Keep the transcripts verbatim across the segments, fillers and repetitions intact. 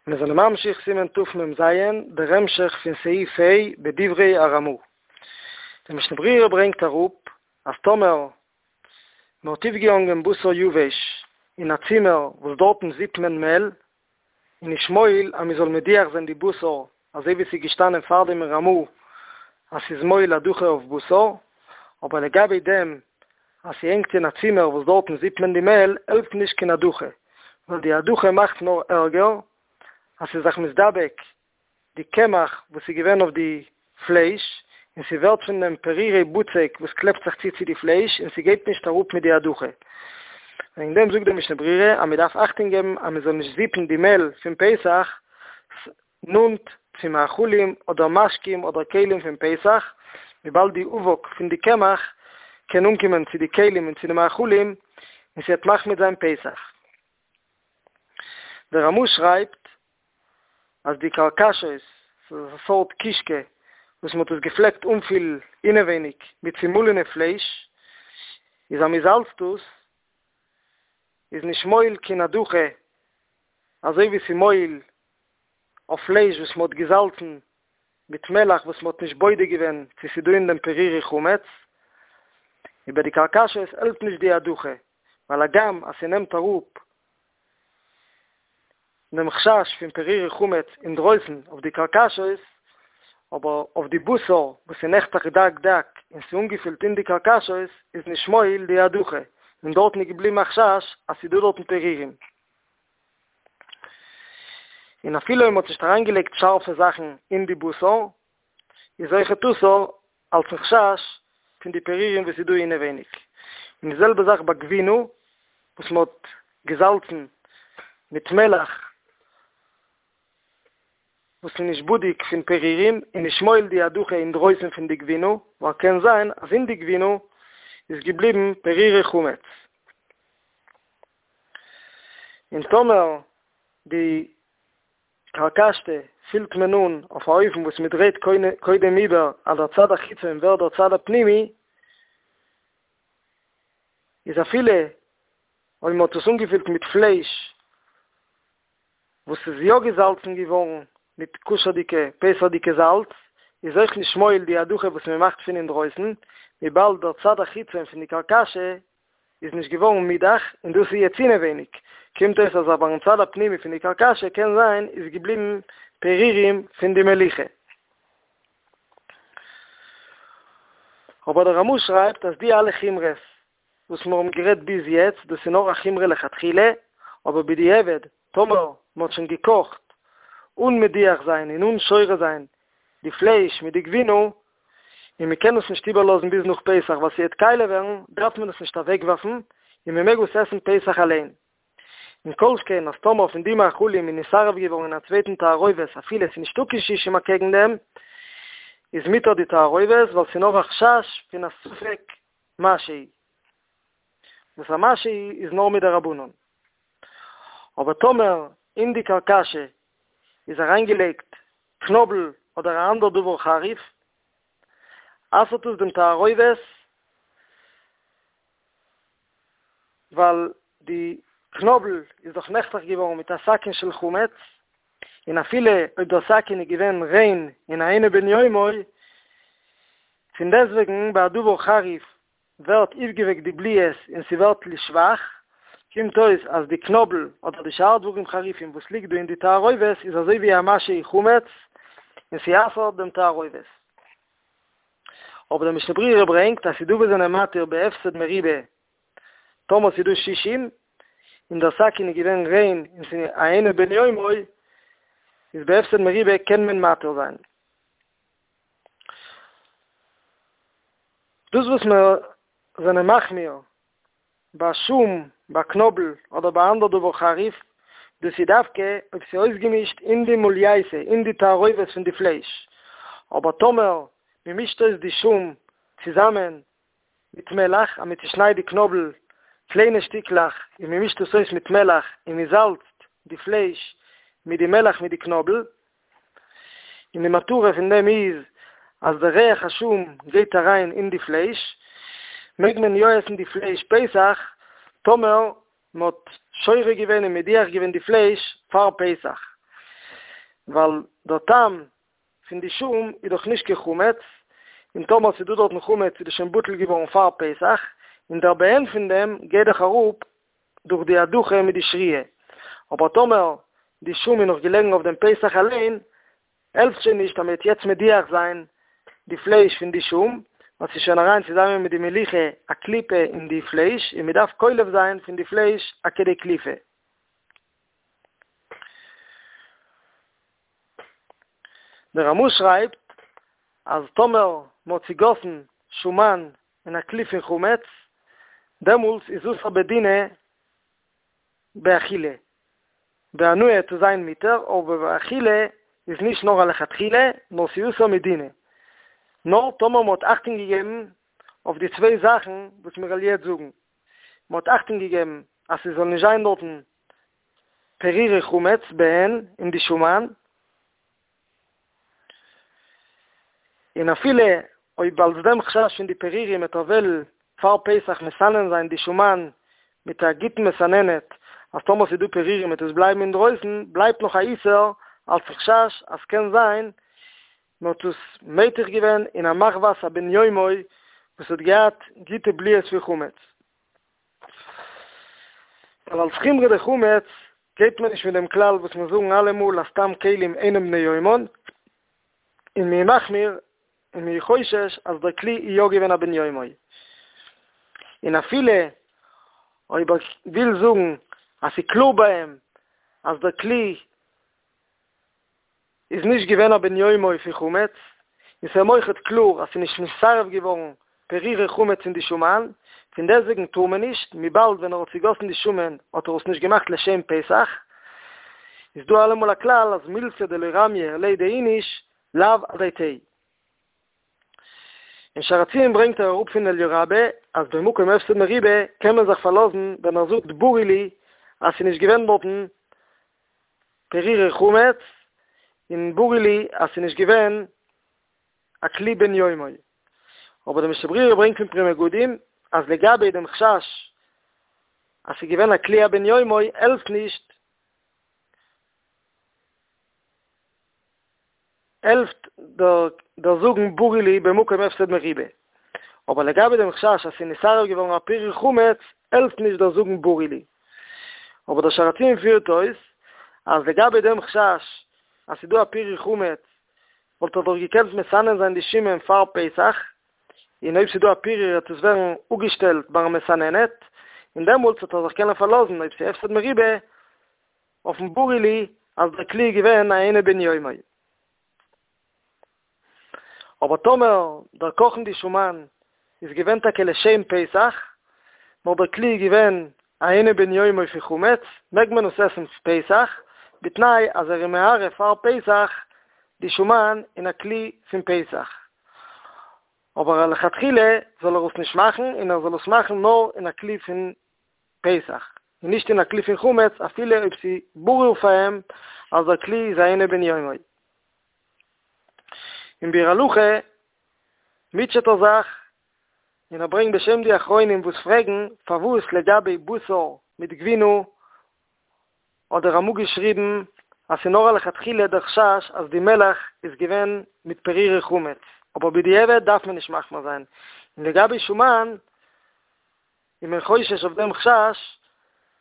מיר זענען ממשיך סימן תמ"ז, דער המשך פון סעיף ה' בדברי הרמ"א. דער משנה ברורה ברענגט אראפ אז טאמער מען האט אויפגעהאנגען בשר יבש אין א צימער וואס דארטן זיפט מען מעל, איז נישט מועיל אז מען זאל מדיח זיין די בשר אזוי ווי ס'איז געשטאנען פארדעם אין רמ"א אז ס'איז מועיל הדחה אויף בשר, אבער לגבי דעם אז ס'הענגט אין א צימער וואס דארטן זיפט מען די מעל העלפט נישט קיין הדחה, ווייל די הדחה מאכט נאר ערגער אז ס'איז זיך מתדבק די קמח וואס איז געווען אויף די פלייש, און ס'ווערט פון דעם פירורי בצק וואס קלעפט זיך צו צו די פלייש און ס'גייט נישט אראפ מיט די הדחה. וועגן דעם זאגט דער משנה ברורה אז מ'דארף אכטונג געבן אז מ'זאל נישט זיפן די מעל פון פסח נאנט צו מאכלים אדער משקים אדער כלים פון פסח, וויבאלד די אבק פון די קמח קען אנקומען צו די כלים און צו די מאכלים און ס'וועט מחמיץ זיין פסח. דער רמ"א שרייבט אז די כרכשות, ס'איז א סארט קישקע וואס מ'האט עס געפלעגט אנפילן אינעווייניג מיט צומאלענע פלייש, איז אז מ'זאלצט עס איז נישט מועיל קיין הדחה אזוי ווי ס'מועיל אויף פלייש וואס מ'האט געזאלצן מיט מלח וואס מ'האט נישט בודק געווען צו ס'דא אין דעם פירורי חמץ, איבער די כרכשות העלפט נישט די הדחה, ווייל הגם אז ס'נעמט אראפ דעם חשש פון פירורי חמץ אינדרויסן אויף די כרכשות, אבער אויף די בשר וואס איז נחתך דק דק און ס'איז אנגעפילט אין די כרכשות איז נישט מועיל די הדחה, און דארטן איז געבליבן א חשש אז ס'איז דא דארטן פירורים. און אפילו אויב מ'האט נישט אריינגעלייגט שארפע זאכן אין די בשר, איז אויכעט אסור אלס'ן חשש פון די פירורים וואס איז דא אינעווייניג. און די זעלבע זאך ביי גבינה וואס מ'האט געזאלצן מיט מלח וואס איז נישט בדוק פון פירורים איז נישט מועיל די הדחה אינדרויסן פון די גבינה, ווייל קען זיין אז אין די גבינה איז געבליבן פירורי חמץ. און טאמער די כרכשתא פילט מען אן אויף א אופן וואס מען דרייט קודם איבער אז דער צד החיצון ווערט דער צד הפנימי, איז אפילו אויב מען האט עס אנגעפילט מיט פלייש וואס איז יא געזאלצן געווארן מיט כשר'דיגע פסח'דיגע זאלץ, איז אויך נישט מועיל די הדחה וואס מען מאכט פון אינדרויסן, וויבאלד דער צד החיצון פון די כרכשתא איז נישט געווארן מודח און דאס איז יעצט אינעווייניג, קומט אויס אז ביים צד הפנימי פון די כרכשתא קען זיין איז געבליבן פירורים פון די מליחה. אבער דער רמ"א שרייבט אז די אלע חומרות וואס מיר האבן גערעדט ביז יעצט דאס איז נאר א חומרא לכתחילה, אבער בדיעבד טאמער מען האט שוין געקאכט אן מדיח זיין און אן שורה זיין די פלייש מיט די גבינה, און מען קען עס נישט איבערלאזן ביז נאך פסח ווייל ס'וועט קאליע ווערן, דארף מען עס נישט אוועקווארפן, און מען מעג עס עסן פסח אליין. און כל שכן אז טאמער פון די מאכלים איז נתערב געווארן אין א צווייטן תערובת אפילו עס איז נישטא קיין שישים אקעגן דעם, איז מותר די תערובת ווייל ס'איז נאר א חשש פון א ספק משהו, וואס א משהו איז נאר מדרבנן. אבער טאמער אין די כרכשתא איז אריינגעלייגט קנאבל אדער א אנדער דבר חריף, אסר'ט עס דעם תערובת, ווייל די קנאבל איז דאך נחתך געווארן מיט א סכין של חמץ, און אפילו אויב דער סכין איז געווען ריין און אינו בן יומו, פונדעסטוועגן ביי א דבר חריף ווערט אויפגעוועקט די בליעות און ס'ווערט לשבח, קומט אויס אז די קנאבל אדער די שאר דברים חריפים וואס ליגט דא אין די תערובת איז אזוי ווי א משהו חמץ און ס'אסר'ט דעם תערובת. אבער דער משנה ברורה ברענגט אז ס'דא וואס זענען מתיר בהפסד מרובה טאמער ס'דא שישים און דער סכין איז געווען ריין און ס'איז אינו בן יומו איז בהפסד מרובה קען מען מתיר זיין. דאס וואס מיר זענען מחמיר ביי שום, ביי קנאבל, אדער ביי אנדער דבר חריף, דאס איז דווקא אויב ס'איז אויסגעמישט אין די מולייתא, אין די תערובת פון די פלייש, אבער טאמער מ'מישט אויס די שום צוזאמען מיט מלח, אז מ'צושניידט די קנאבל קליינע שטיקלעך און מ'מישט עס אויס מיט מלח און מ'זאלצט די פלייש מיט די מלח מיט די קנאבל, און די מטרה פון דעם איז אז די ריח השום גייט אריין אין די פלייש, מעג מען יא עסן די פלייש פסח טאמער מען האט שורה געווען און מדיח געווען די פלייש פאר פסח. ווייל דער טעם פון די שום איז דאך נישט קיין חמץ, און טאמער ס'איז דא דארטן חמץ איז דאס שוין בטל געווארן פאר פסח, און דער בעין פון דעם גייט דאך אראפ דורך די הדחה מיט די שרייה. אבער טאמער די שום איז נאך געלעגן אויף דעם פסח אליין, העלפט שוין נישט אז מ'וועט יעצט מדיח זיין די פלייש פון די שום, ווייל ס'איז שוין אריין צוזאמען מיט די מליחה א קליפה אין די פלייש, און מ'דארף קולף זיין פון די פלייש א כדי קליפה. דער רמ"א שרייבט אז טאמער מ'האט צוגאסן שומן אין א כלי פון חמץ, דעמאלטס איז אסור בדינא באכילה, בהנאה וועט זיין מותר, אבער באכילה איז נישט נאר א לכתחילה, נאר ס'איז אסור מדינא. נאר טאמער מ'האט אכטונג געגעבן אויף די צוויי זאכן וואס מיר וועלן יעצט זאגן, מ'האט אכטונג געגעבן אז ס'זאל נישט זיין דארטן פירורי חמץ בעין אין די שומן, און אפילו אויב אלס דעם חשש פון די פירורים וועט ער וועלן פאר פסח מסנן זיין די שומן מיט א גוטן מסננת אז טאמער ס'איז דא פירורים וועט עס בלייבן אינדרויסן, בלייבט נאך א איסור אלס חשש אז ס'קען זיין מ'האט עס מיתיך געווען אין א מחבת הבן יומו וואס האט געהאט גוטע בליעות פון חמץ. ווייל אלס חומרא דחמץ גייט מען נישט מיט דעם כלל וואס מיר זאגן אלעמאל אז סתם כלים אינם בני יומן, און מ'איז מחמיר און מ'איז חושש אז דער כלי איז יא געווען א בן יומו. און אפילו אויב ער וויל זאגן אז ס'איז קלאר ביי אים אז דער כלי איז נישט געווען א בן יומו פון חמץ, און ס'איז אים אויכעט קלאר אז ס'איז נישט נתערב געווארן פירורי חמץ אין די שומן, פון דעסטוועגן טאר מען נישט, וויבאלד ווען ער האט צוגאסן די שומן האט ער עס נישט געמאכט לשם פסח, איז דא אלעמאל א כלל אז מילתא דלא רמיא עליה דאיניש לאו אדעתיה. אין שער הציון ברענגט ער אראפ פון אליה רבה אז במקום הפסד מרובה קען מען זיך פארלאזן ווען ער זאגט ברי לי אז ס'איז נישט געווען דארטן פירורי חמץ און ברי לי אז ס'איז נישט געווען א כלי בן יומו. אבער דער משנה ברורה ברענגט פון פרי מגדים אז לגבי דעם חשש אז ס'איז געווען א כלי הבן יומו העלפט נישט העלפט דער זאגן ברי לי במקום הפסד מרובה. אבער לגבי דעם חשש אז ס'איז נתערב געווארן א פירור חמץ העלפט נישט דער זאגן ברי לי. אבער דער שער הציון פירט אויס אז לגבי דעם חשש אז ס'איז דא א פירור חמץ וואלט ער דאך געקענט מסנן זיין די שומן פאר פסח, און אויב ס'איז דא א פירור וועט עס ווערן אפגעשטעלט ביים מסננת, און דעמאלטס וועט ער זיך קענען פארלאזן אויב ס'איז הפסד מרובה אויפן ברי לי אז דער כלי איז געווען א אינו בן יומו. אבער טאמער דער קאכן די שומן איז געווען טאקע לשם פסח, נאר דער כלי איז געווען א אינו בן יומו פון חמץ, מעג מען עס עסן פסח, בתנאי אז ער איז מערב פאר פסח די שומן אין א כלי פון פסח. אבער לכתחילה זאל ער עס נישט מאכן, און ער זאל עס מאכן נאר אין א כלי פון פסח, און נישט אין א כלי פון חמץ, אפילו אויב ס'איז ברור פאר אים אז דער כלי איז א אינו בן יומו. אין ביאור הלכה מוטשעט ער זיך און ער ברענגט בשם די אחרונים וואס פרעגן פארוואס לגבי בשר מיט גבינה האט דער רמ"א געשריבן אז ס'איז נאר א לכתחילה דער חשש אז די מלח איז געווען מיט פירורי חמץ, אבער בדיעבד דארף מען נישט מחמיר זיין, און לגבי שומן איז מען חושש אויף דעם חשש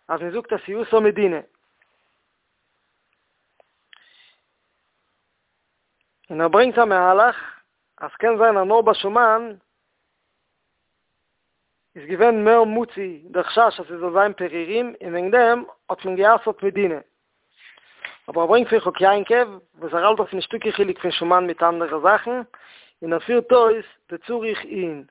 אז מען זאגט אז ס'איז אסור מדינא. און ער ברענגט א מהלך אז קען זיין אז נאר ביי שומן איז געווען מער מצוי דער חשש אז ס'זאל זיין פירורים און וועגן דעם האט מען גע'אסר'ט מדינא. אבער ער ברענגט פון חק יעקב וואס ער האלט אז ס'נישטא קיין חילוק פון שומן מיט אנדערע זאכן, און ער פירט אויס דצריך עיון.